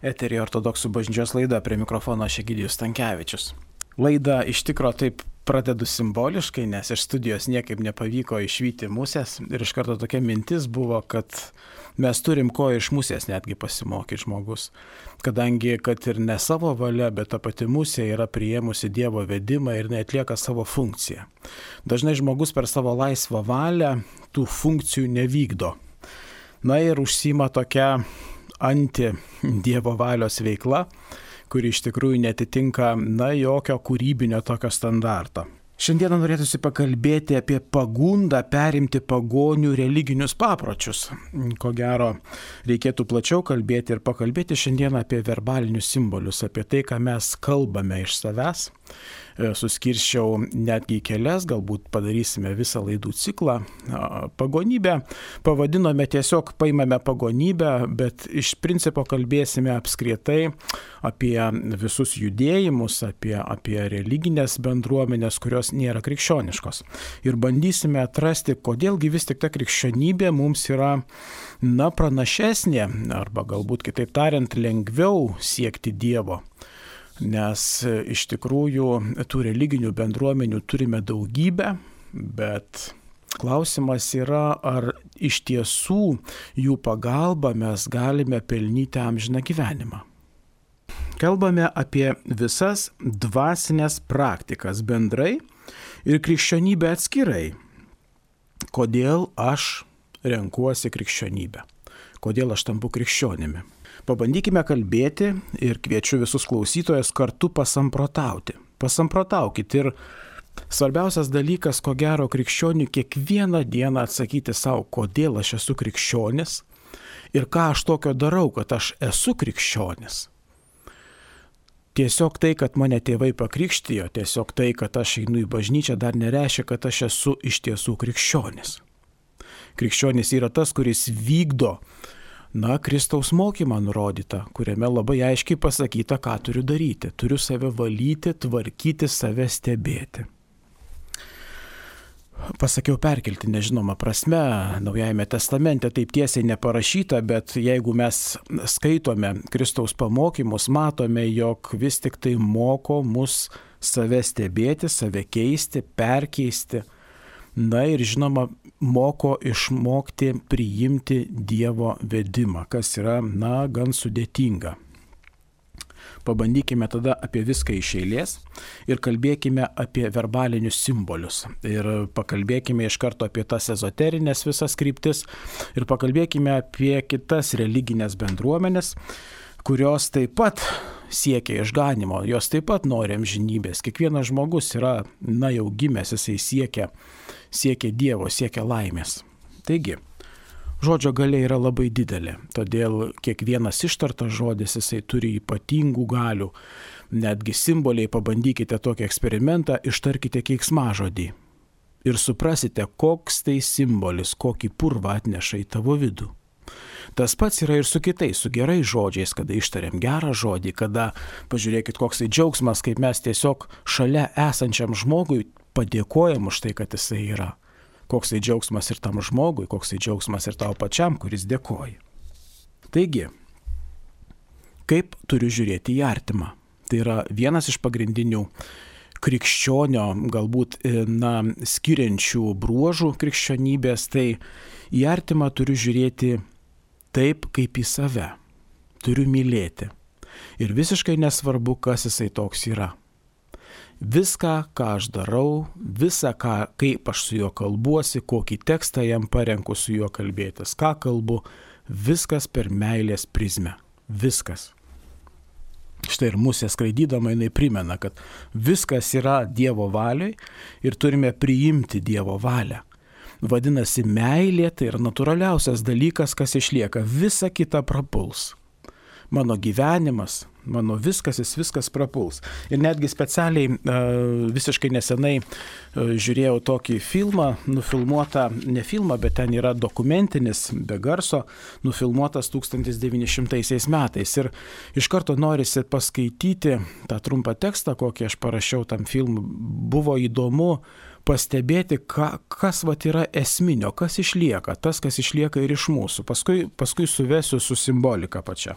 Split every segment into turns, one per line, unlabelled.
Eteryje Ortodoksų bažnyčios laida, prie mikrofono aš Egidijus Stankevičius. Laidą iš tikro taip pradedu simboliškai, nes iš studijos niekaip nepavyko išvyti musės ir iš karto tokia mintis buvo, kad mes turim ko iš musės netgi pasimokyti žmogus. Kadangi, kad ir ne savo valia, bet ta pati musė yra priėmusi Dievo vedimą ir neatlieka savo funkciją. Dažnai žmogus per savo laisvą valią tų funkcijų nevykdo. Na ir užsiima tokia anti-Dievo valios veikla, kuri iš tikrųjų netitinka, jokio kūrybinio tokio standarto. Šiandieną norėtųsi pakalbėti apie pagundą perimti pagonių religinius papročius. Ko gero, reikėtų plačiau kalbėti ir pakalbėti šiandieną apie verbalinius simbolius, apie tai, ką mes kalbame iš savęs. Suskirščiau netgi kelias, galbūt padarysime visą laidų ciklą. Pagonybę pavadinome tiesiog, paimame pagonybę, bet iš principo kalbėsime apskritai apie visus judėjimus, apie religinės bendruomenės, kurios nėra krikščioniškos. Ir bandysime atrasti, kodėlgi vis tik ta krikščionybė mums yra pranašesnė, arba galbūt kitaip tariant, lengviau siekti Dievo. Nes iš tikrųjų tų religinių bendruomenių turime daugybę, bet klausimas yra, ar iš tiesų jų pagalba mes galime pelnyti amžiną gyvenimą. Kalbame apie visas dvasinės praktikas bendrai ir krikščionybę atskirai. Kodėl aš renkuosi krikščionybę? Kodėl aš tampu krikščionimi? Pabandykime kalbėti ir kviečiu visus klausytojus kartu pasamprotauti. Pasamprotaukit ir svarbiausias dalykas, ko gero krikščionių, kiekvieną dieną atsakyti savo, kodėl aš esu krikščionis ir ką aš tokio darau, kad aš esu krikščionis. Tiesiog tai, kad mane tėvai pakrikštijo, tiesiog tai, kad aš einu į bažnyčią, dar nereiškia, kad aš esu iš tiesų krikščionis. Krikščionis yra tas, kuris vykdo Kristaus mokymą nurodytą, kuriame labai aiškiai pasakyta, ką turiu daryti. Turiu save valyti, tvarkyti, save stebėti. Pasakiau perkelti nežinoma prasme, Naujajame testamente taip tiesiai neparašyta, bet jeigu mes skaitome Kristaus pamokymus, matome, jog vis tik tai moko mus save stebėti, save keisti, perkeisti. Ir žinoma, moko išmokti priimti Dievo vedimą, kas yra, gan sudėtinga. Pabandykime tada apie viską iš eilės ir kalbėkime apie verbalinius simbolius. Ir pakalbėkime iš karto apie tas ezoterinės visas kryptis ir pakalbėkime apie kitas religinės bendruomenės, kurios taip pat siekia išganimo, jos taip pat nori amžinybės. Kiekvienas žmogus yra, jau gimęs, jisai siekia Dievo, siekia laimės. Taigi, žodžio galia yra labai didelė, todėl kiekvienas ištartas žodis jisai turi ypatingų galių. Netgi simboliai, pabandykite tokį eksperimentą, ištarkite keiksmažodį ir suprasite, koks tai simbolis, kokį purvą atneša į tavo vidų. Tas pats yra ir su kitais, su gerais žodžiais, kada ištariam gerą žodį, kada, pažiūrėkit, koks tai džiaugsmas, kaip mes tiesiog šalia esančiam žmogui padėkojam už tai, kad jisai yra. Koks tai džiaugsmas ir tam žmogui, koks tai džiaugsmas ir tau pačiam, kuris dėkoja. Taigi, kaip turiu žiūrėti į artimą? Tai yra vienas iš pagrindinių krikščionio, galbūt, skiriančių bruožų krikščionybės, tai į artimą turiu žiūrėti taip, kaip į save. Turiu mylėti. Ir visiškai nesvarbu, kas jisai toks yra. Viską, ką aš darau, kaip aš su juo kalbuosi, kokį tekstą jam parenku su juo kalbėtis, ką kalbu, viskas per meilės prizmę. Viskas. Štai ir musė skraidydama jinai primena, kad viskas yra Dievo valioj ir turime priimti Dievo valią. Vadinasi, meilė tai yra natūraliausias dalykas, kas išlieka. Visa kita prapuls. Mano gyvenimas, mano viskas prapuls. Ir netgi specialiai visiškai nesenai žiūrėjau tokį filmą, nufilmuotą, ne filmą, bet ten yra dokumentinis, be garso, nufilmuotas 1900 metais. Ir iš karto norisi paskaityti tą trumpą tekstą, kokį aš parašiau tam filmui. Buvo įdomu pastebėti, kas yra esminio, kas išlieka, tas, kas išlieka ir iš mūsų. Paskui suvesiu su simbolika pačia.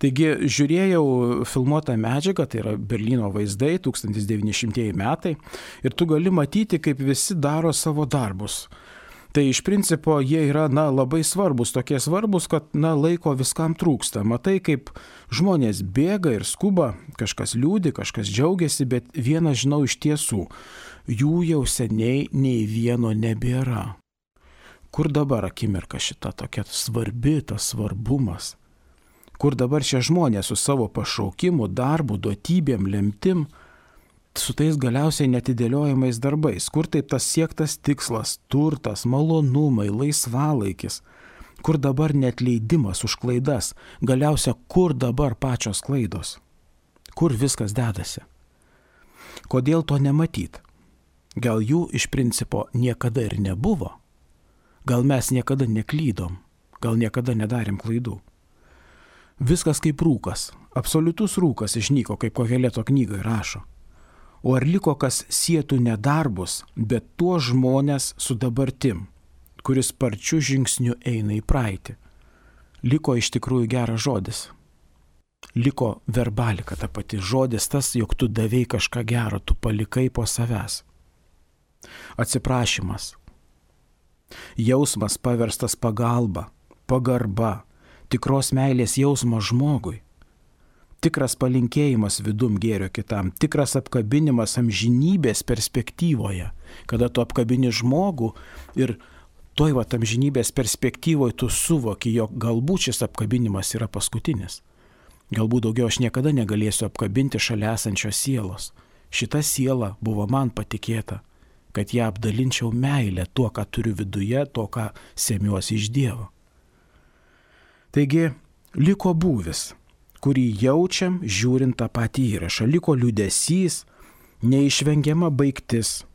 Taigi žiūrėjau filmuotą medžiagą, tai yra Berlyno vaizdai, 1900 metai, ir tu gali matyti, kaip visi daro savo darbus. Tai iš principo jie yra labai svarbus, tokie svarbus, kad laiko viskam trūksta. Matai, kaip žmonės bėga ir skuba, kažkas liūdi, kažkas džiaugiasi, bet vieną žinau iš tiesų, jų jau seniai nei vieno nebėra. Kur dabar akimirka šita tokia svarbi, tas svarbumas? Kur dabar šie žmonės su savo pašaukimu, darbu, duotybėm, lemtim, su tais galiausiai netidėliojamais darbais? Kur taip tas siektas tikslas, turtas, malonumai, laisvalaikis? Kur dabar neatleidimas už klaidas? Galiausia, kur dabar pačios klaidos? Kur viskas dedasi? Kodėl to nematyt? Gal jų iš principo niekada ir nebuvo? Gal mes niekada neklydom? Gal niekada nedarėm klaidų? Viskas kaip rūkas, absoliutus rūkas išnyko, kaip Koheleto knygai rašo. O ar liko kas sietų nedarbus, bet tuo žmonės su dabartim, kuris sparčiu žingsniu eina į praeitį? Liko iš tikrųjų geras žodis. Liko verbalika ta pati, žodis tas, jog tu davei kažką gero, tu palikai po savęs. Atsiprašymas. Jausmas paverstas pagalba, pagarba, tikros meilės jausmas žmogui. Tikras palinkėjimas vidum gėrio kitam, tikras apkabinimas amžinybės perspektyvoje, kada tu apkabini žmogų ir toj amžinybės perspektyvoje tu suvoki, jog galbūt šis apkabinimas yra paskutinis. Galbūt daugiau aš niekada negalėsiu apkabinti šalia esančios sielos. Šita siela buvo man patikėta, kad ją apdalinčiau meilę tuo, ką turiu viduje, to, ką semiuosi iš Dievo. Taigi, liko būvis, kurį jaučiam žiūrint tą patį įrašą. Liko liūdesys, neišvengiama baigtis.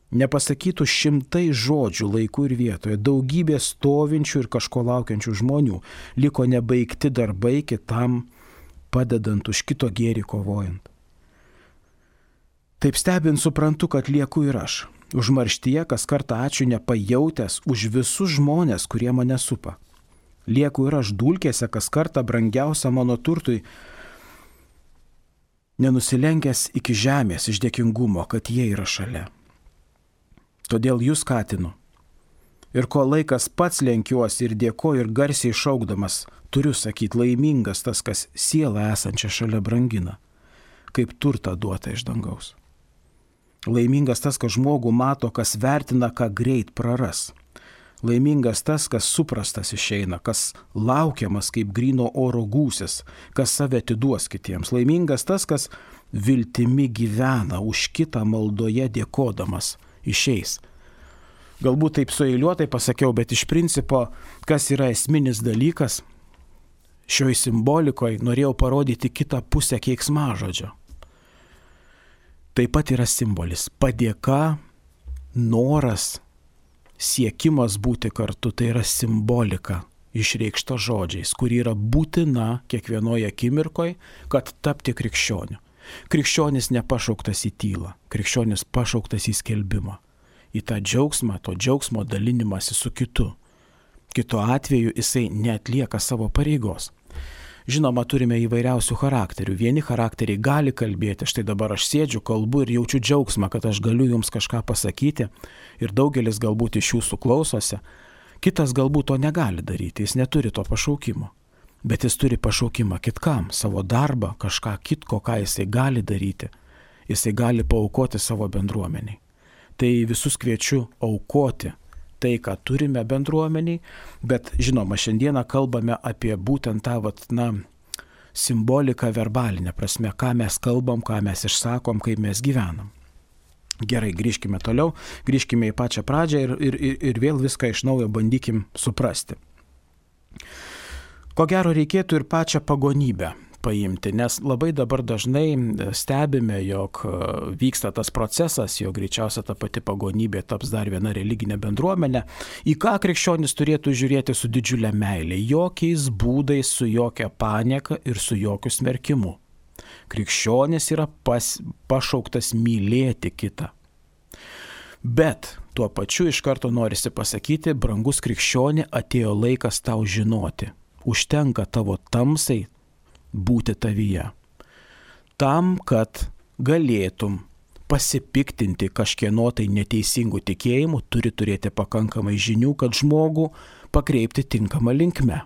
Nepasakytų šimtai žodžių laiku ir vietoje, daugybė stovinčių ir kažko laukiančių žmonių. Liko nebaigti darbai kitam padedant, už kito gėrį kovojant. Taip stebint suprantu, kad lieku ir aš. Užmarštyje kas kartą ačiū nepajautęs už visus žmonės, kurie mane supa. Lieku ir aš dulkėse kas kartą brangiausia mano turtui, nenusilenkęs iki žemės iš dėkingumo, kad jie yra šalia. Todėl jūs skatinu. Ir ko laikas pats lenkiuosi ir dėkoju ir garsiai šaukdamas, turiu sakyti, laimingas tas, kas sielą esančią šalia brangina, kaip turtą duota iš dangaus. Laimingas tas, kas žmogų mato, kas vertina, ką greit praras. Laimingas tas, kas suprastas išeina, kas laukiamas kaip gryno oro gūsis, kas save atiduos kitiems. Laimingas tas, kas viltimi gyvena, už kitą maldoje dėkodamas išeis. Galbūt taip sueiliuotai pasakiau, bet iš principo, kas yra esminis dalykas, šioj simbolikoje norėjau parodyti kitą pusę keiksmažodžio. Taip pat yra simbolis. Padėka, noras, siekimas būti kartu, tai yra simbolika išreikšta žodžiais, kuri yra būtina kiekvienoje akimirkoje, kad tapti krikščioniu. Krikščionis nepašauktas į tylą, krikščionis pašauktas į skelbimą, į tą džiaugsmą, to džiaugsmo dalinimąsi su kitu. Kitu atveju jisai neatlieka savo pareigos. Žinoma, turime įvairiausių charakterių. Vieni charakteriai gali kalbėti, štai dabar aš sėdžiu, kalbu ir jaučiu džiaugsmą, kad aš galiu jums kažką pasakyti ir daugelis galbūt iš jūsų klausosi. Kitas galbūt to negali daryti, jis neturi to pašaukimo, bet jis turi pašaukimą kitkam, savo darbą, kažką kitko, ką jisai gali daryti. Jisai gali paaukoti savo bendruomeniai. Tai visus kviečiu aukoti tai, ką turime bendruomeniai, bet žinoma, šiandieną kalbame apie būtent tą simboliką verbalinę prasme, ką mes kalbam, ką mes išsakom, kaip mes gyvenam. Gerai, grįžkime toliau, grįžkime į pačią pradžią ir vėl viską iš naujo bandykim suprasti. Ko gero reikėtų ir pačią pagonybę paimti, nes labai dabar dažnai stebime, jog vyksta tas procesas, jog greičiausia ta pati pagonybė taps dar viena religinė bendruomenė, į ką krikščionis turėtų žiūrėti su didžiulė meilė, jokiais būdais, su jokia panieka ir su jokiu smerkimu. Krikščionis yra pašauktas mylėti kitą. Bet tuo pačiu iš karto norisi pasakyti, brangus krikščioni, atėjo laikas tau žinoti. Užtenka tavo tamsai būti tavyje. Tam, kad galėtum pasipiktinti kažkieno tai neteisingų tikėjimų, turi turėti pakankamai žinių, kad žmogų pakreipti tinkamą linkme.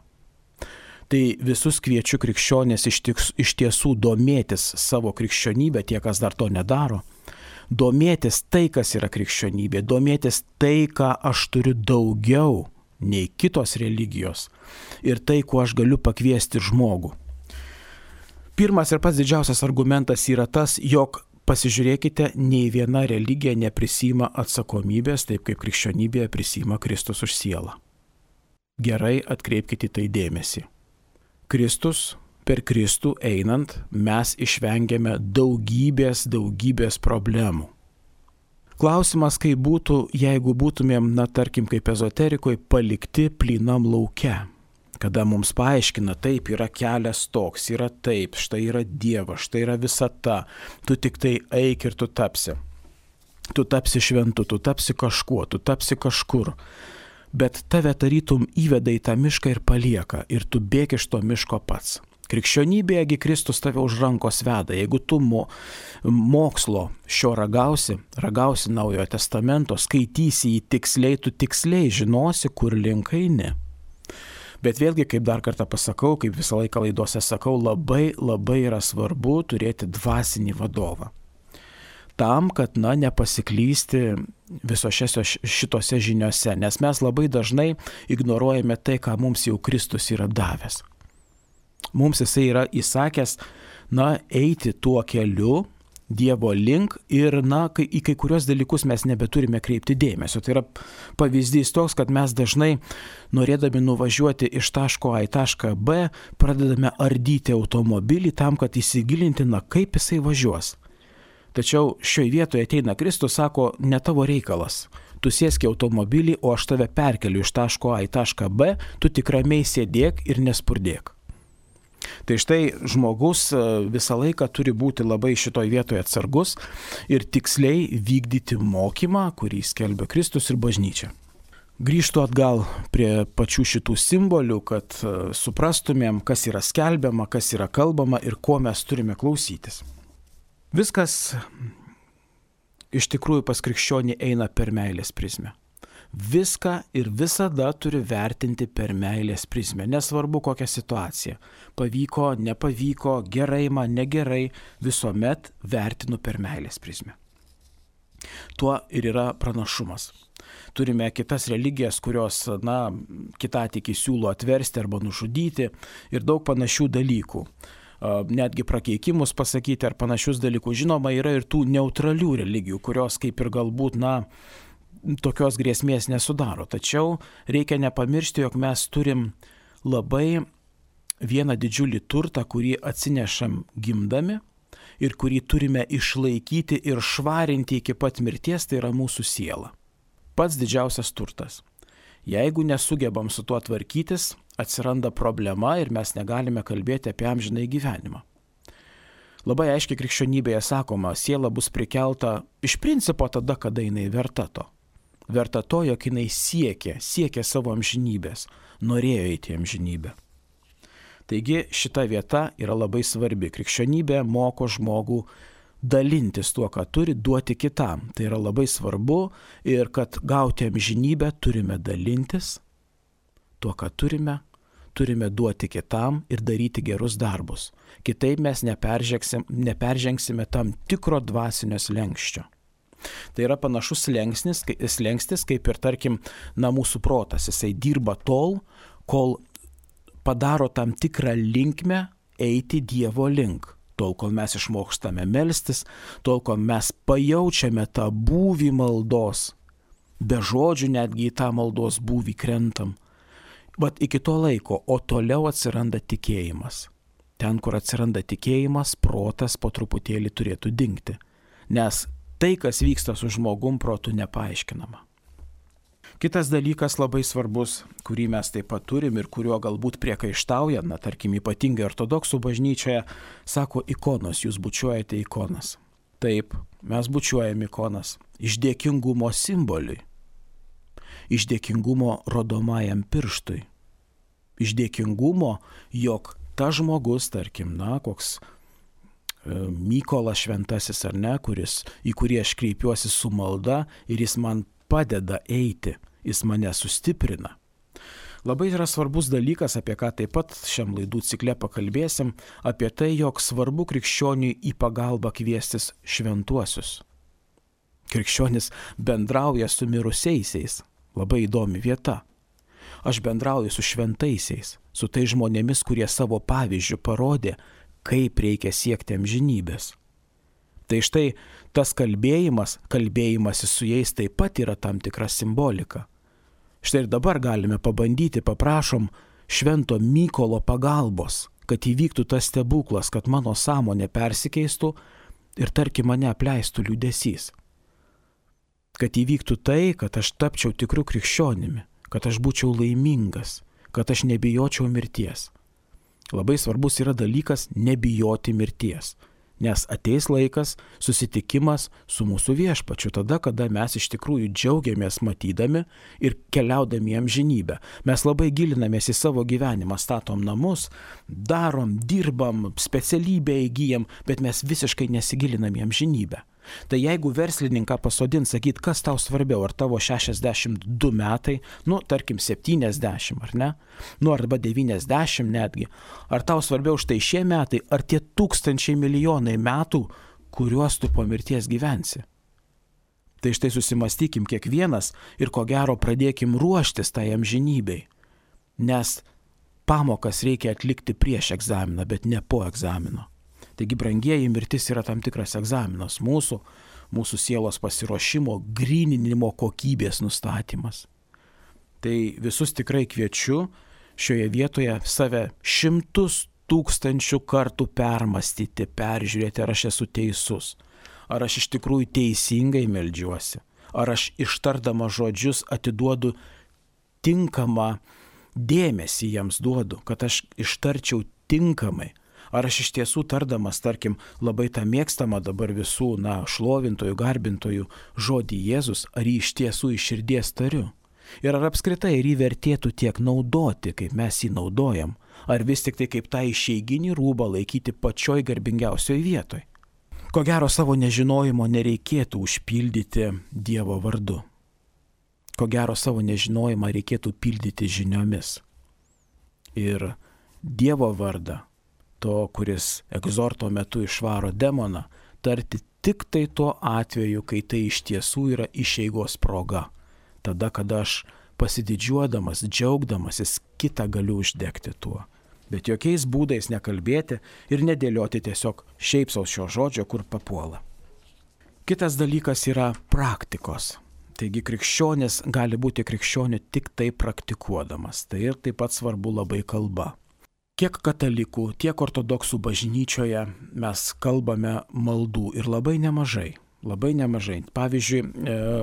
Tai visus kviečiu krikščionės iš tiesų domėtis savo krikščionybę, tie, kas dar to nedaro. Domėtis tai, kas yra krikščionybė, domėtis tai, ką aš turiu daugiau nei kitos religijos ir tai, kuo aš galiu pakviesti žmogų. Pirmas ir pats didžiausias argumentas yra tas, jog pasižiūrėkite, nei viena religija neprisima atsakomybės, taip kaip krikščionybėje prisima Kristus už sielą. Gerai atkreipkite tai dėmesį. Kristus, per Kristų einant, mes išvengiame daugybės problemų. Klausimas, kaip būtų, jeigu būtumėm, tarkim, kaip ezoterikoje, palikti plynam lauke. Kada mums paaiškina, taip, yra kelias toks, yra taip, štai yra Dievas, štai yra visata, tu tik tai eik ir tu tapsi. Tu tapsi šventu, tu tapsi kažkuo, tu tapsi kažkur. Bet tave tarytum įveda į tą mišką ir palieka, ir tu bėgi iš to miško pats. Krikščionybėje Kristus tave už rankos veda. Jeigu tu mokslo šio ragausi Naujojo Testamento, skaitysi jį tiksliai, tu tiksliai žinosi, kur link eini. Bet vėlgi, kaip dar kartą pasakau, kaip visą laiką laidose sakau, labai yra svarbu turėti dvasinį vadovą. Tam, kad nepasiklysti visose šitose žiniose, nes mes labai dažnai ignoruojame tai, ką mums jau Kristus yra davęs. Mums jisai yra įsakęs, eiti tuo keliu, Dievo link ir, į kai kurios dalykus mes nebeturime kreipti dėmesio. Tai yra pavyzdys toks, kad mes dažnai, norėdami nuvažiuoti iš taško A į tašką B, pradedame ardyti automobilį tam, kad įsigilinti, kaip jisai važiuos. Tačiau šioje vietoje ateina Kristus, sako, ne tavo reikalas. Tu sėski automobilį, o aš tave perkeliu iš taško A į tašką B, tu tik ramiai sėdėk ir nespurdėk. Tai štai žmogus visą laiką turi būti labai šitoj vietoje atsargus ir tiksliai vykdyti mokymą, kurį skelbia Kristus ir bažnyčia. Grįžtu atgal prie pačių šitų simbolių, kad suprastumėm, kas yra skelbiama, kas yra kalbama ir ko mes turime klausytis. Viskas iš tikrųjų pas krikščionį eina per meilės prizmę. Viską ir visada turi vertinti per meilės prizmę, nesvarbu kokia situacija. Pavyko, nepavyko, gerai man, negerai, visuomet vertinu per meilės prizmę. Tuo ir yra pranašumas. Turime kitas religijas, kurios, kitatikiai siūlo atversti arba nužudyti ir daug panašių dalykų. Netgi prakeikimus pasakyti ar panašius dalykus. Žinoma, yra ir tų neutralių religijų, kurios kaip ir galbūt, tokios grėsmės nesudaro. Tačiau reikia nepamiršti, jog mes turim labai vieną didžiulį turtą, kurį atsinešam gimdami ir kurį turime išlaikyti ir švarinti iki pat mirties, tai yra mūsų siela. Pats didžiausias turtas. Jeigu nesugebam su tuo tvarkytis, atsiranda problema ir mes negalime kalbėti apie amžinąjį gyvenimą. Labai aiškiai krikščionybėje sakoma, siela bus prikelta iš principo tada, kada jinai verta to. Verta to, jog jinai siekė savo amžinybės, norėjo eiti į amžinybę. Taigi šita vieta yra labai svarbi. Krikščionybė moko žmogų dalintis tuo, ką turi, duoti kitam. Tai yra labai svarbu ir kad gauti amžinybę turime dalintis tuo, ką turime duoti kitam ir daryti gerus darbus. Kitaip mes neperžengsime tam tikro dvasinio slenksčio. Tai yra panašus slengstis, kaip ir tarkim, mūsų protas. Jisai dirba tol, kol padaro tam tikrą linkmę eiti Dievo link. Tol, kol mes išmokstame melstis, tol, kol mes pajaučiame tą būvį maldos. Be žodžių netgi į tą maldos būvį krentam. Bet iki to laiko, o toliau atsiranda tikėjimas. Ten, kur atsiranda tikėjimas, protas po truputėlį turėtų dingti. Nes tai, kas vyksta su žmogum, protu nepaaiškinama. Kitas dalykas labai svarbus, kurį mes taip pat turim ir kuriuo galbūt priekaištauja, tarkim, ypatingai ortodoksų bažnyčioje, sako ikonos, jūs bučiuojate ikonas. Taip, mes bučiuojam ikonas iš dėkingumo simboliui, iš dėkingumo rodomajam pirštui, iš dėkingumo, jog tas žmogus, tarkim, koks Mykolas Šventasis ar ne, į kurį aš kreipiuosi su malda ir jis man padeda eiti, jis mane sustiprina. Labai yra svarbus dalykas, apie ką taip pat šiam laidų cikle pakalbėsim, apie tai, jog svarbu krikščioniui į pagalbą kviestis šventuosius. Krikščionis bendrauja su mirusiaisiais. Labai įdomi vieta. Aš bendrauju su šventaisiais, su tai žmonėmis, kurie savo pavyzdžių parodė, kaip reikia siekti amžinybės. Tai štai tas kalbėjimasis su jais taip pat yra tam tikra simbolika. Štai ir dabar galime pabandyti, paprašom švento Mykolo pagalbos, kad įvyktų tas stebuklas, kad mano sąmonė persikeistų ir tarkim mane apleistų liūdesys. Kad įvyktų tai, kad aš tapčiau tikru krikščionimi, kad aš būčiau laimingas, kad aš nebijočiau mirties. Labai svarbus yra dalykas nebijoti mirties, nes ateis laikas susitikimas su mūsų viešpačiu, tada, kada mes iš tikrųjų džiaugiamės matydami ir keliaudami į amžinybę. Mes labai gilinamės į savo gyvenimą, statom namus, darom, dirbam, specialybę įgyjam, bet mes visiškai nesigilinam į amžinybę. Tai jeigu verslininką pasodins, sakyt, kas tau svarbiau, ar tavo 62 metai, tarkim 70, ar ne, arba 90 netgi, ar tau svarbiau štai šie metai, ar tie tūkstančiai milijonai metų, kuriuos tu po mirties gyvensi. Tai štai susimastykim kiekvienas ir ko gero pradėkim ruoštis tai amžinybei, nes pamokas reikia atlikti prieš egzaminą, bet ne po egzamino. Taigi, brangieji, mirtis yra tam tikras egzaminas mūsų sielos pasiruošimo, gryninimo kokybės nustatymas. Tai visus tikrai kviečiu šioje vietoje save 100 000 kartų permastyti, peržiūrėti, ar aš esu teisus, ar aš iš tikrųjų teisingai meldžiuosi, ar aš ištardama žodžius atiduodu tinkamą dėmesį jiems duodu, kad aš ištarčiau tinkamai. Ar aš iš tiesų tardamas, tarkim, labai tą mėgstamą dabar visų, šlovintojų, garbintojų žodį Jėzus, ar jį iš tiesų iš širdies tariu? Ir ar apskritai jį vertėtų tiek naudoti, kaip mes jį naudojam? Ar vis tik tai kaip tą išeiginį rūbą laikyti pačioj garbingiausioj vietoj? Ko gero savo nežinojimo nereikėtų užpildyti Dievo vardu. Ko gero savo nežinojimą reikėtų pildyti žiniomis. Ir Dievo vardą, to, kuris egzorto metu išvaro demoną, tarti tik tai tuo atveju, kai tai iš tiesų yra išeigos proga. Tada, kada aš pasididžiuodamas, džiaugdamasis, kitą galiu uždegti tuo. Bet jokiais būdais nekalbėti ir nedėlioti tiesiog šiaip sau šio žodžio, kur papuola. Kitas dalykas yra praktikos. Taigi krikščionis gali būti krikščioniu tik tai praktikuodamas. Tai ir taip pat svarbu labai kalba. Tiek katalikų, tiek ortodoksų bažnyčioje mes kalbame maldų ir labai nemažai. Pavyzdžiui,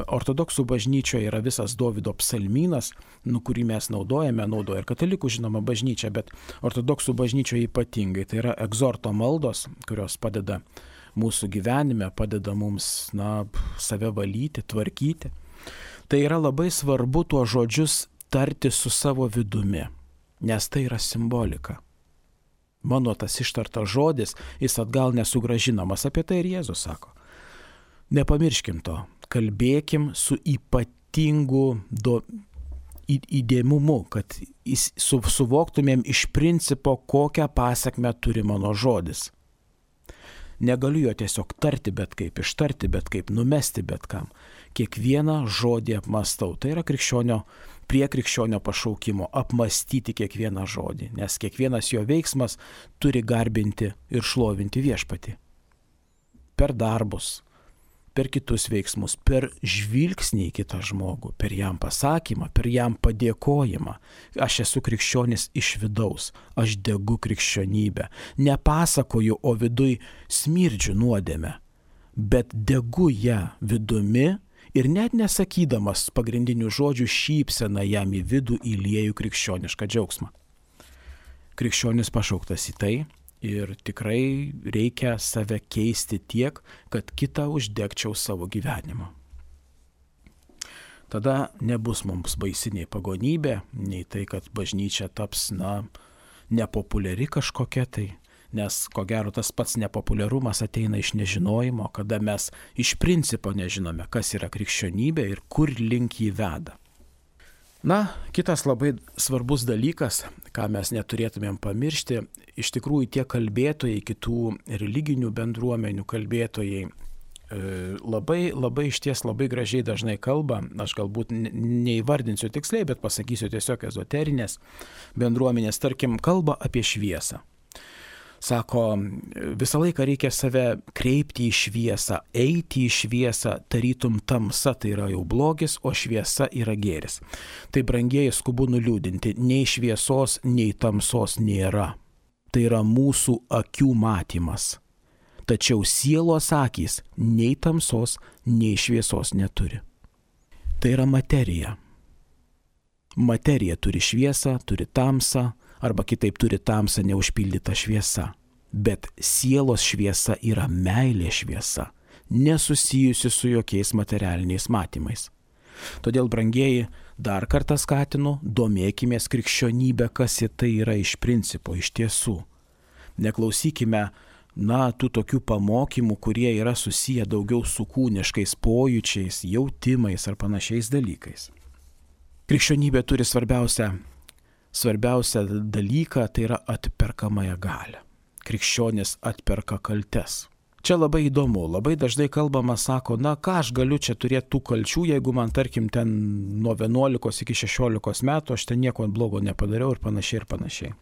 ortodoksų bažnyčioje yra visas Dovydo psalmynas, kurį mes naudoja ir katalikų žinoma bažnyčia, bet ortodoksų bažnyčioje ypatingai. Tai yra egzorto maldos, kurios padeda mūsų gyvenime, padeda mums save valyti, tvarkyti. Tai yra labai svarbu tuos žodžius tarti su savo vidumi, nes tai yra simbolika. Mano tas ištartas žodis, jis atgal nesugrąžinamas, apie tai ir Jėzus sako. Nepamirškim to, kalbėkim su ypatingu įdėmumu, kad suvoktumėm iš principo, kokią pasekmę turi mano žodis. Negaliu jo tiesiog tarti bet kaip, ištarti bet kaip, numesti bet kam. Kiekvieną žodį apmastau. Tai yra prie krikščionio pašaukimo apmastyti kiekvieną žodį, nes kiekvienas jo veiksmas turi garbinti ir šlovinti viešpatį. Per darbus, per kitus veiksmus, per žvilgsnį į kitą žmogų, per jam pasakymą, per jam padėkojimą. Aš esu krikščionis iš vidaus, aš degu krikščionybę. Nepasakoju, o viduj smirdžiu nuodėmę, bet degu ją vidumi ir net nesakydamas pagrindinių žodžių šypseną jam į vidų įlieju krikščionišką džiaugsmą. Krikščionis pašauktas į tai ir tikrai reikia save keisti tiek, kad kitą uždegčiau savo gyvenimą. Tada nebus mums baisi nei pagonybė, nei tai, kad bažnyčia taps, nepopuliari kažkokia tai, nes ko gero tas pats nepopuliarumas ateina iš nežinojimo, kada mes iš principo nežinome, kas yra krikščionybė ir kur link jį veda. Na, kitas labai svarbus dalykas, ką mes neturėtumėm pamiršti, iš tikrųjų tie kalbėtojai, kitų religinių bendruomenių kalbėtojai, labai išties labai gražiai dažnai kalba, aš galbūt neįvardinsiu tiksliai, bet pasakysiu tiesiog ezoterinės bendruomenės, tarkim, kalba apie šviesą. Sako, visą laiką reikia save kreipti į šviesą, eiti į šviesą, tarytum tamsa tai yra jau blogis, o šviesa yra gėris. Tai brangieji skubu nuliūdinti, nei šviesos, nei tamsos nėra. Tai yra mūsų akių matymas. Tačiau sielos akys nei tamsos, nei šviesos neturi. Tai yra materija. Materija turi šviesą, turi tamsą, arba kitaip turi tamsą neužpildytą šviesą. Bet sielos šviesa yra meilė šviesa, nesusijusi su jokiais materialiniais matymais. Todėl, brangieji, dar kartą skatinu, domėkimės krikščionybę, kas tai yra iš principo, iš tiesų. Neklausykime, tų tokių pamokymų, kurie yra susiję daugiau su kūniškais pojūčiais, jautimais ar panašiais dalykais. Krikščionybė turi svarbiausią dalyką, tai yra atperkamąją galią. Krikščionis atperka kaltes. Čia labai įdomu, labai dažnai kalbama, sako, ką aš galiu čia turėti tų kalčių, jeigu man, tarkim, ten nuo 11 iki 16 metų aš ten nieko blogo nepadariau ir panašiai ir panašiai.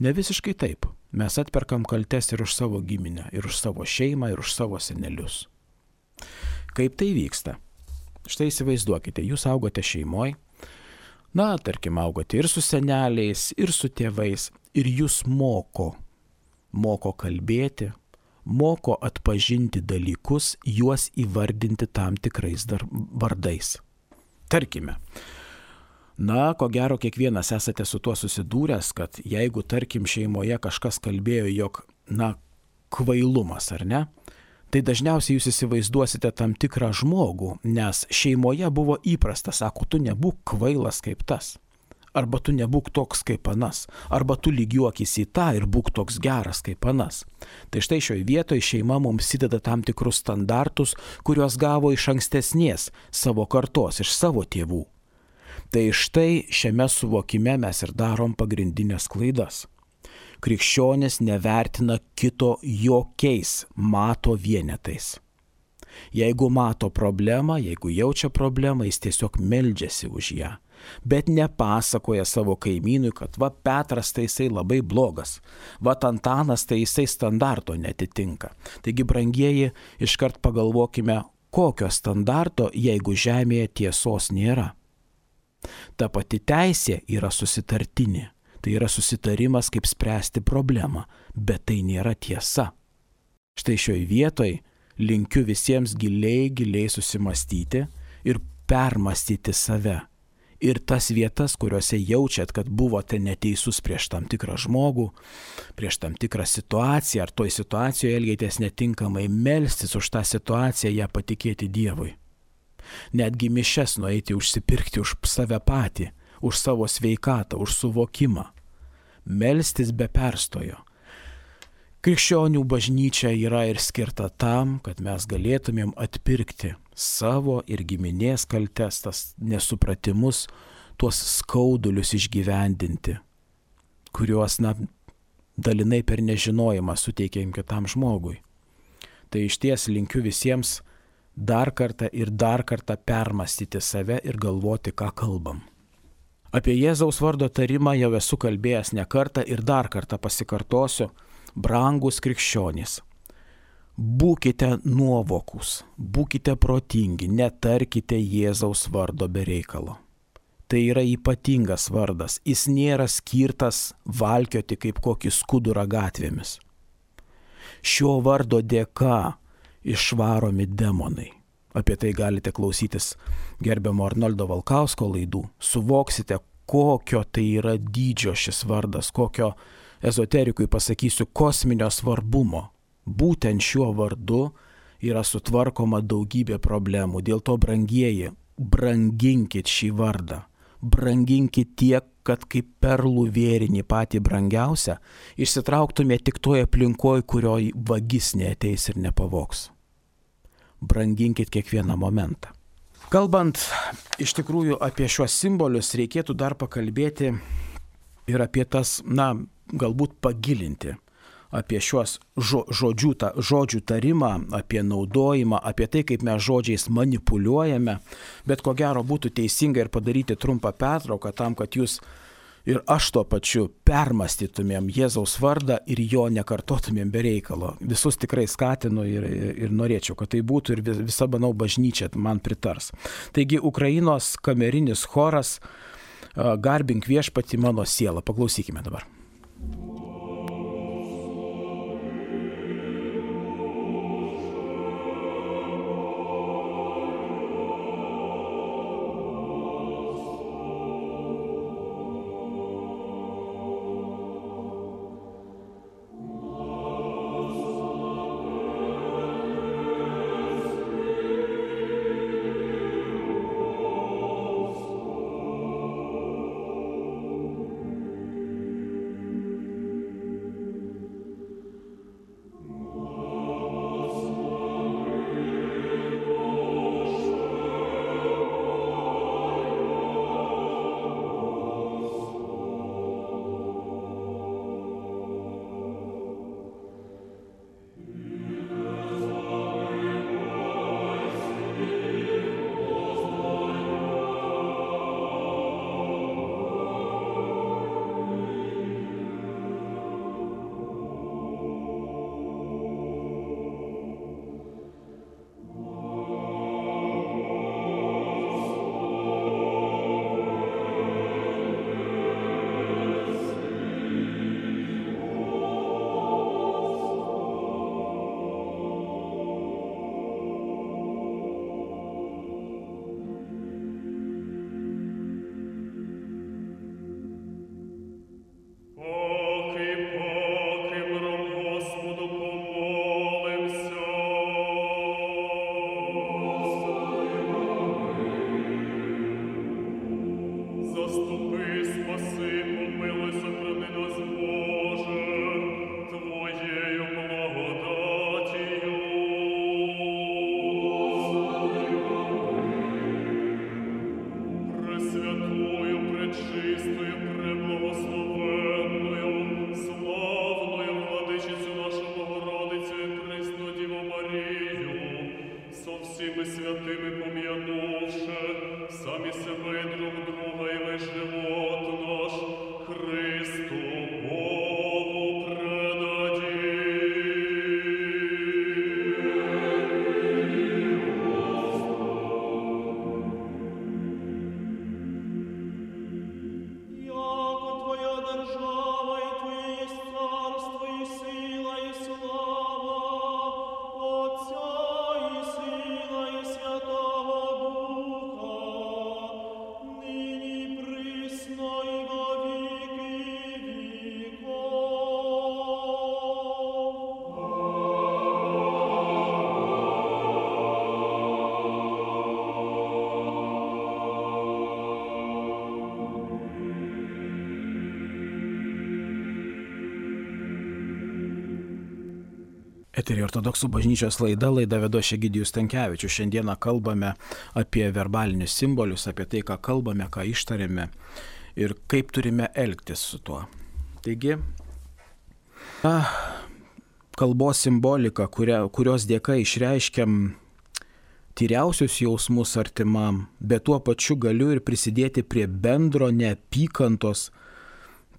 Ne visiškai taip. Mes atperkam kaltes ir už savo giminę, ir už savo šeimą, ir už savo senelius. Kaip tai vyksta? Štai įsivaizduokite, jūs augote šeimoje, tarkim, augote ir su seneliais, ir su tėvais, ir jūs moko kalbėti, moko atpažinti dalykus, juos įvardinti tam tikrais vardais. Tarkime, ko gero kiekvienas esate su tuo susidūręs, kad jeigu, tarkim, šeimoje kažkas kalbėjo, jog, kvailumas, ar ne, tai dažniausiai jūs įsivaizduosite tam tikrą žmogų, nes šeimoje buvo įprasta, sako, tu nebūk kvailas kaip tas. Arba tu nebūk toks kaip anas, arba tu lygiuokis į tą ir būk toks geras kaip anas. Tai štai šioje vietoje šeima mums įdeda tam tikrus standartus, kuriuos gavo iš ankstesnės savo kartos, iš savo tėvų. Tai štai šiame suvokime mes ir darom pagrindinės klaidas. Krikščionis nevertina kito jokiais mato vienetais. Jeigu mato problemą, jeigu jaučia problemą, jis tiesiog meldžiasi už ją. Bet nepasakoja savo kaimynui, kad Petras tai jisai labai blogas, Antanas tai jisai standarto netitinka. Taigi, brangieji, iškart pagalvokime, kokio standarto, jeigu žemėje tiesos nėra. Ta pati teisė yra susitartinė, tai yra susitarimas, kaip spręsti problemą, bet tai nėra tiesa. Štai šioje vietoje linkiu visiems giliai susimastyti ir permastyti save. Ir tas vietas, kuriuose jaučiat, kad buvote neteisus prieš tam tikrą žmogų, prieš tam tikrą situaciją, ar toj situacijoje elgėtės netinkamai, melstis už tą situaciją, ją patikėti Dievui. Netgi mišias nueiti užsipirkti už save patį, už savo sveikatą, už suvokimą. Melstis be perstojo. Krikščionių bažnyčia yra ir skirta tam, kad mes galėtumėm atpirkti savo ir giminės kaltes, tas nesupratimus, tuos skaudulius išgyvendinti, kuriuos, dalinai per nežinojimą suteikėm kitam žmogui. Tai išties linkiu visiems dar kartą permastyti save ir galvoti, ką kalbam. Apie Jėzaus vardo tarimą jau esu kalbėjęs ne kartą ir dar kartą pasikartosiu. Brangus krikščionys, būkite nuovokūs, būkite protingi, netarkite Jėzaus vardo be reikalo. Tai yra ypatingas vardas, jis nėra skirtas valkioti kaip kokį skudurą gatvėmis. Šio vardo dėka išvaromi demonai. Apie tai galite klausytis gerbiamo Arnoldo Valkausko laidų. Suvoksite, kokio tai yra dydžio šis vardas, kokio ezoterikui pasakysiu kosminio svarbumo. Būtent šiuo vardu yra sutvarkoma daugybė problemų. Dėl to, brangieji, branginkit šį vardą. Branginkit tiek, kad kaip perlų vėrinį patį brangiausią išsitrauktume tik toje aplinkoje, kurioje vagis neateis ir nepavogs. Branginkit kiekvieną momentą. Kalbant iš tikrųjų apie šiuos simbolius, reikėtų dar pakalbėti ir apie tas, galbūt pagilinti apie šiuos žodžių tarimą, apie naudojimą, apie tai, kaip mes žodžiais manipuliuojame, bet ko gero būtų teisinga ir padaryti trumpą pertrauką tam, kad jūs ir aš tuo pačiu permąstytumėm Jėzaus vardą ir jo nekartotumėm be reikalo. Visus tikrai skatinu ir norėčiau, kad tai būtų ir visa, manau, bažnyčia man pritars. Taigi Ukrainos kamerinis choras Garbink viešpatį mano sielą. Paklausykime dabar. Eterį ortodoksų bažnyčios laida vedu aš Egidijus Stankevičius. Šiandieną kalbame apie verbalinius simbolius, apie tai, ką kalbame, ką ištarėme ir kaip turime elgtis su tuo. Taigi, kalbos simbolika, kurios dėka išreiškiam tyriausius jausmus artimam, bet tuo pačiu galiu ir prisidėti prie bendro neapykantos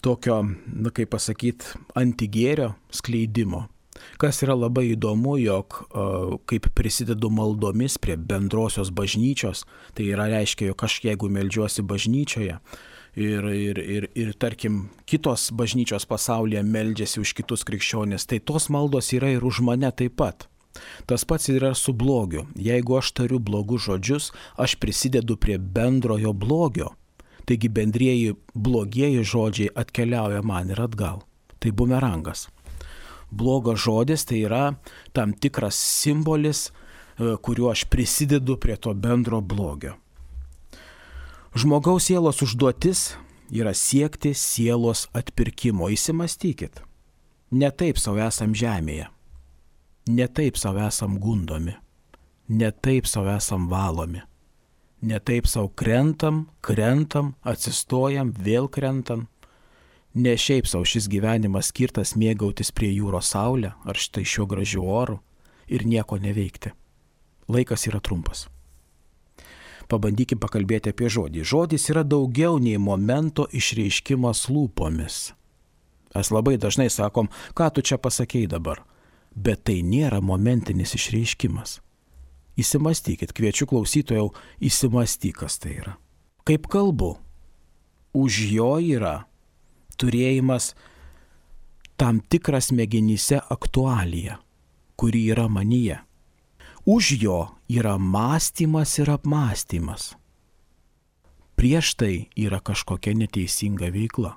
tokio, kaip pasakyti, antigėrio skleidimo. Kas yra labai įdomu, jog kaip prisidedu maldomis prie bendrosios bažnyčios, tai yra reiškia, jog aš jeigu meldžiuosi bažnyčioje ir tarkim kitos bažnyčios pasaulyje meldžiasi už kitus krikščionis, tai tos maldos yra ir už mane taip pat. Tas pats yra su blogiu. Jeigu aš tariu blogus žodžius, aš prisidedu prie bendrojo blogio. Taigi bendrieji blogieji žodžiai atkeliauja man ir atgal. Tai bumerangas. Blogas žodis tai yra tam tikras simbolis, kuriuo aš prisidedu prie to bendro blogio. Žmogaus sielos užduotis yra siekti sielos atpirkimo. Įsimastykit. Ne taip savo esam žemėje. Ne taip savo esam gundomi. Ne taip savo esam valomi. Ne taip savo krentam, atsistojam, vėl krentam. Ne šiaip savo šis gyvenimas skirtas mėgautis prie jūros saulę ar štai šiuo gražiu oru ir nieko neveikti. Laikas yra trumpas. Pabandykim pakalbėti apie žodį. Žodis yra daugiau nei momento išreiškimas lūpomis. Mes labai dažnai sakom, ką tu čia pasakei dabar. Bet tai nėra momentinis išreiškimas. Įsimastykit, kviečiu klausytojau, įsimastyk, kas tai yra. Kaip kalbu, už jo yra turėjimas tam tikras smegenyse aktualija, kuri yra manyje. Už jo yra mąstymas ir apmąstymas. Prieš tai yra kažkokia neteisinga veikla.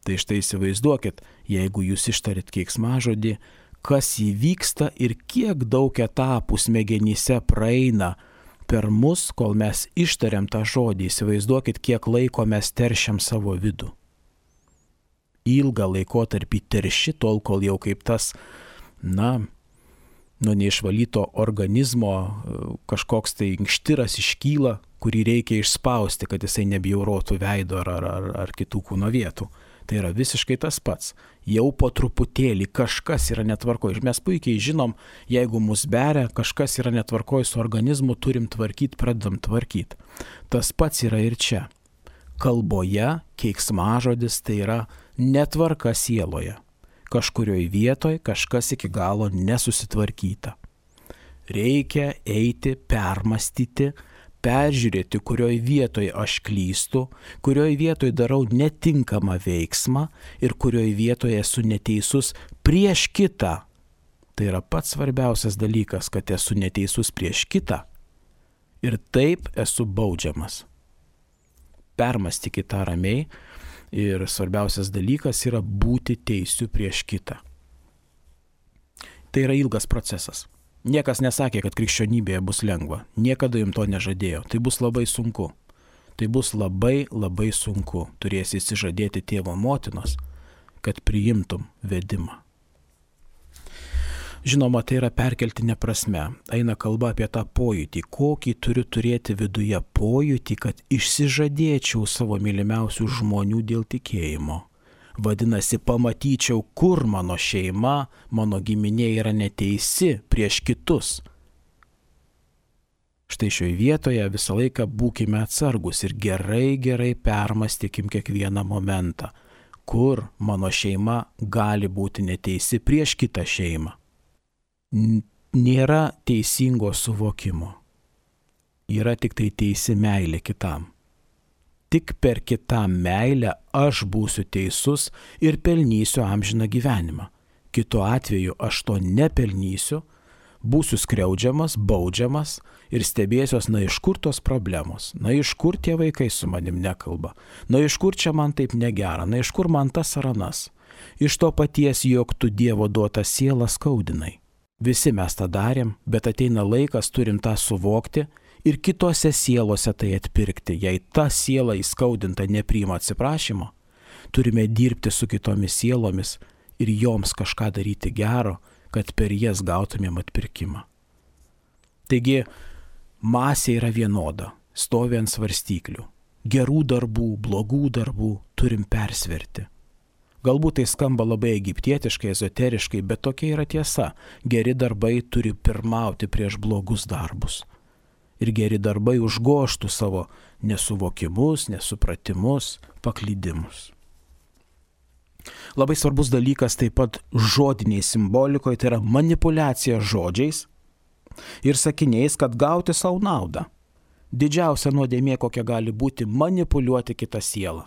Tai štai įsivaizduokit, jeigu jūs ištarit keiksmažodį, kas įvyksta ir kiek daug etapų smegenyse praeina per mus, kol mes ištariam tą žodį. Įsivaizduokit, kiek laiko mes teršiam savo vidų. Ilgą laikotarpį terši, tol kol jau kaip tas, nuo neišvalyto organizmo kažkoks tai inkštiras iškyla, kurį reikia išspausti, kad jisai nebjaurotų veido ar kitų kūno vietų. Tai yra visiškai tas pats. Jau po truputėlį kažkas yra netvarkoj. Ir mes puikiai žinom, jeigu mus beria, kažkas yra netvarkoj su organizmu, turim tvarkyti, pradedam tvarkyti. Tas pats yra ir čia. Kalboje keiksmažodis tai yra netvarka sieloje. Kažkurioje vietoje kažkas iki galo nesusitvarkyta. Reikia eiti, permastyti, peržiūrėti, kurioje vietoje aš klystu, kurioje vietoje darau netinkamą veiksmą ir kurioje vietoje esu neteisus prieš kitą. Tai yra pats svarbiausias dalykas, kad esu neteisus prieš kitą ir taip esu baudžiamas. Permastykite tą ramiai ir svarbiausias dalykas yra būti teisiu prieš kitą. Tai yra ilgas procesas. Niekas nesakė, kad krikščionybėje bus lengva. Niekada jums to nežadėjo. Tai bus labai sunku. Tai bus labai, labai sunku. Turėsi išsižadėti tėvo motinos, kad priimtum vedimą. Žinoma, tai yra perkeltinė prasme. Eina kalba apie tą pojūtį. Kokį turiu turėti viduje pojūtį, kad išsižadėčiau savo mylimiausių žmonių dėl tikėjimo. Vadinasi, pamatyčiau, kur mano šeima, mano giminė yra neteisi prieš kitus. Štai šioje vietoje visą laiką būkime atsargus ir gerai permąstykim kiekvieną momentą, kur mano šeima gali būti neteisi prieš kitą šeimą. Nėra teisingo suvokimo. Yra tik tai teisi meilė kitam. Tik per kitą meilę aš būsiu teisus ir pelnysiu amžiną gyvenimą. Kitu atveju aš to nepelnysiu, būsiu skriaudžiamas, baudžiamas ir stebėsiuos, iš kur tos problemos, iš kur tie vaikai su manim nekalba, iš kur čia man taip negera, iš kur man tas ar anas. Iš to paties, jog tu Dievo duotą sielą skaudinai. Visi mes tą darėm, bet ateina laikas, turim tą suvokti ir kitose sielose tai atpirkti. Jei ta siela įskaudinta nepriima atsiprašymo, turime dirbti su kitomis sielomis ir joms kažką daryti gero, kad per jas gautumėm atpirkimą. Taigi, masė yra vienoda, stovi ant svarstyklių. Gerų darbų, blogų darbų turim persverti. Galbūt tai skamba labai egiptietiškai, ezoteriškai, bet tokia yra tiesa. Geri darbai turi pirmauti prieš blogus darbus. Ir geri darbai užgoštų savo nesuvokimus, nesupratimus, paklydimus. Labai svarbus dalykas taip pat žodiniai simbolikoje, tai yra manipuliacija žodžiais ir sakiniais, kad gauti savo naudą. Didžiausia nuodėmė, kokia gali būti, manipuliuoti kitą sielą.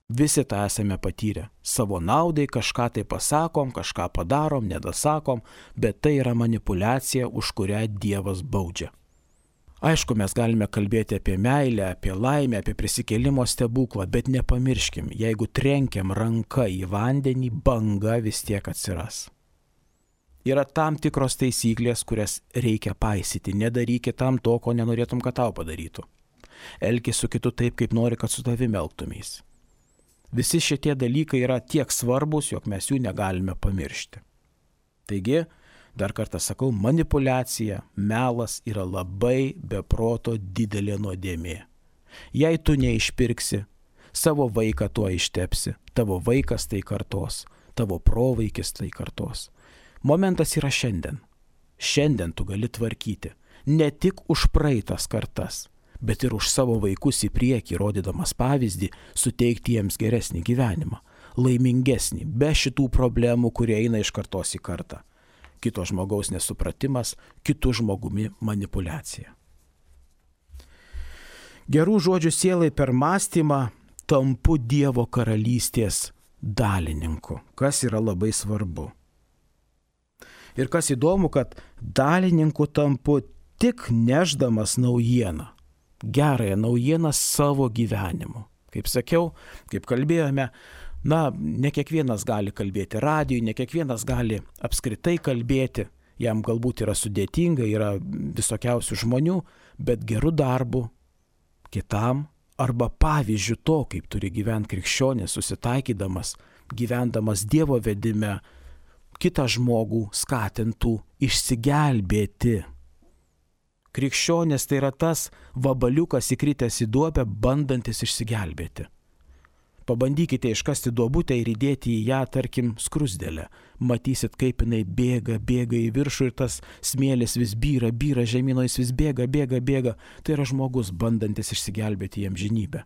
Visi tą esame patyrę. Savo naudai kažką tai pasakom, kažką padarom, nedasakom, bet tai yra manipuliacija, už kurią Dievas baudžia. Aišku, mes galime kalbėti apie meilę, apie laimę, apie prisikėlimo stebuklą, bet nepamirškim, jeigu trenkiam ranką į vandenį, banga vis tiek atsiras. Yra tam tikros taisyklės, kurias reikia paisyti. Nedarykit tam to, ko nenorėtum, kad tau padarytų. elkis su kitu taip, kaip nori, kad su tavimi elgtumės. Visi šitie dalykai yra tiek svarbus, jog mes jų negalime pamiršti. Taigi, dar kartą sakau, manipuliacija, melas yra labai beproto didelė nuodėmė. Jei tu neišpirksi, savo vaiką tuo ištepsi, tavo vaikas tai kartos, tavo provaikis tai kartos. Momentas yra šiandien. Šiandien tu gali tvarkyti ne tik už praeitas kartas, bet ir už savo vaikus į priekį, rodydamas pavyzdį, suteikti jiems geresnį gyvenimą, laimingesnį, be šitų problemų, kurie eina iš kartos į kartą. Kito žmogaus nesupratimas, kitų žmogumi manipuliacija. Gerų žodžių sielai per mąstymą tampu Dievo karalystės dalininku, kas yra labai svarbu. Ir kas įdomu, kad dalininku tampu tik nešdamas naujieną, gerąją naujieną savo gyvenimu. Kaip sakiau, kaip kalbėjome, ne kiekvienas gali kalbėti radijui, ne kiekvienas gali apskritai kalbėti, jam galbūt yra sudėtinga, yra visokiausių žmonių, bet gerų darbų kitam arba pavyzdžių to, kaip turi gyventi krikščionis, susitaikydamas, gyvendamas Dievo vedime, kitą žmogų skatintų išsigelbėti. Krikščionis tai yra tas vabaliukas įkritęs į duobę, bandantis išsigelbėti. Pabandykite iškasti duobutę ir įdėti į ją, tarkim, skrusdelę. Matysit, kaip jinai bėga į viršų ir tas smėlis vis byra žemyn, jis vis bėga. Tai yra žmogus, bandantis išsigelbėti į amžinybę.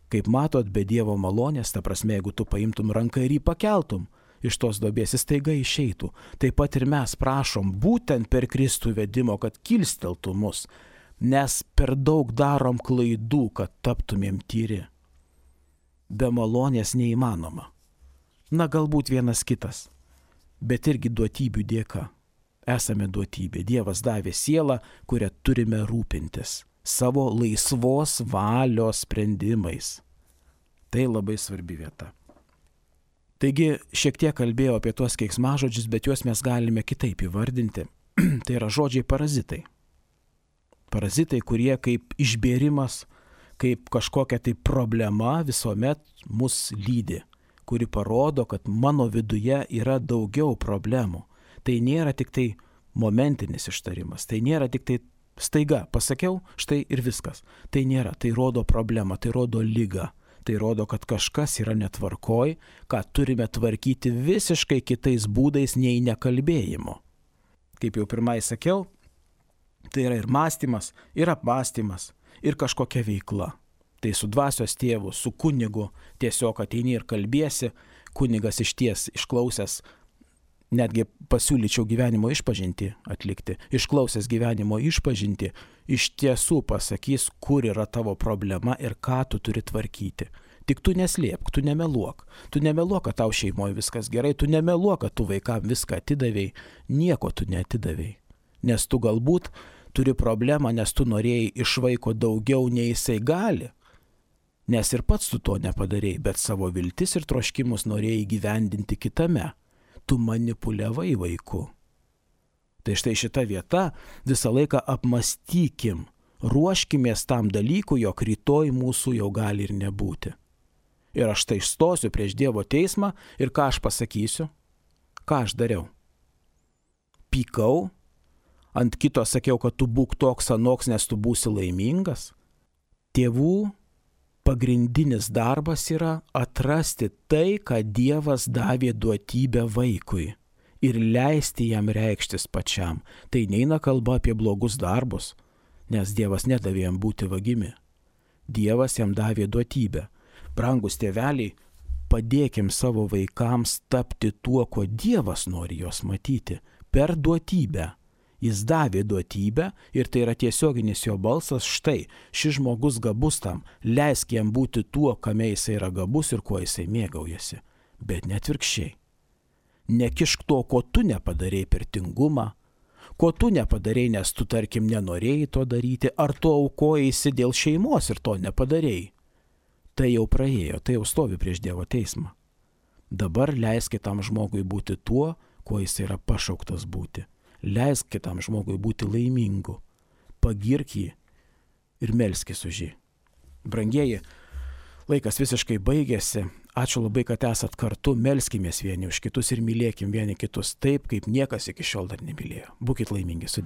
Kaip matot, be Dievo malonės, ta prasme, jeigu tu paimtum ranką ir jį pakeltum, iš tos duobės jis staiga išeitų. Taip pat ir mes prašom būtent per Kristų vedimo, kad kilsteltų mus, nes per daug darom klaidų, kad taptumėm tyri. Be malonės neįmanoma. Galbūt vienas kitas, bet irgi duotybių dėka. Esame duotybė. Dievas davė sielą, kurią turime rūpintis savo laisvos valios sprendimais. Tai labai svarbi vieta. Taigi šiek tiek kalbėjau apie tuos keiksmažodžius, bet juos mes galime kitaip įvardinti. Tai yra žodžiai parazitai. Parazitai, kurie kaip išbėrimas, kaip kažkokia tai problema visuomet mus lydi, kuri parodo, kad mano viduje yra daugiau problemų. Tai nėra tik tai momentinis ištarimas, tai nėra tik tai staiga pasakiau, štai ir viskas. Tai nėra, tai rodo problemą, tai rodo ligą. Tai rodo, kad kažkas yra netvarkoj, ką turime tvarkyti visiškai kitais būdais nei nekalbėjimu. Kaip jau pirmai sakiau, tai yra ir mąstymas, ir apmąstymas, ir kažkokia veikla. Tai su dvasios tėvu, su kunigu tiesiog ateini ir kalbėsi, kunigas išties išklausęs, netgi pasiūlyčiau gyvenimo išpažintį atlikti, išklausęs gyvenimo išpažintį, iš tiesų pasakys, kur yra tavo problema ir ką tu turi tvarkyti. Tik tu neslėpk, tu nemeluok. Tu nemeluok, kad tau šeimoje viskas gerai, tu nemeluok, kad tu vaikam viską atidavėjai, nieko tu neatidavėjai. Nes tu galbūt turi problemą, nes tu norėjai iš vaiko daugiau, nei jisai gali. Nes ir pats tu to nepadarėjai, bet savo viltis ir troškimus norėjai gyvendinti kitame. Tu manipuliavai vaiku. Tai štai šita vieta visą laiką apmąstykim, ruoškimės tam dalykui, jog rytoj mūsų jau gali ir nebūti. Ir aš tai išstosiu prieš Dievo teismą ir ką aš pasakysiu? Ką aš dariau? Pykau, ant kito sakiau, kad tu būk toks anoks, nes tu būsi laimingas. Tėvų pagrindinis darbas yra atrasti tai, ką Dievas davė duotybę vaikui ir leisti jam reikštis pačiam. Tai neina kalba apie blogus darbus, nes Dievas nedavė jam būti vagimi. Dievas jam davė duotybę. Brangus tėveliai, padėkim savo vaikams tapti tuo, ko Dievas nori juos matyti, per duotybę. Jis davė duotybę ir tai yra tiesioginis jo balsas, štai, šis žmogus gabus tam, leisk jam būti tuo, kame jisai yra gabus ir kuo jisai mėgaujasi. Bet net atvirkščiai. Nekišk to, ko tu nepadarėjai per tingumą, ko tu nepadarėjai, nes tu, tarkim, nenorėjai to daryti, ar tu aukojaisi dėl šeimos ir to nepadarėjai. Tai jau praėjo, tai jau stovi prieš Dievo teismą. Dabar leisk kitam žmogui būti tuo, kuo jis yra pašauktas būti. Leisk kitam žmogui būti laimingu, pagirk jį ir melskis už jį. Brangieji, laikas visiškai baigėsi. Ačiū labai, kad esat kartu. Melskimės vieni už kitus ir mylėkim vieni kitus taip, kaip niekas iki šiol dar nemylėjo. Būkit laimingi, sudie.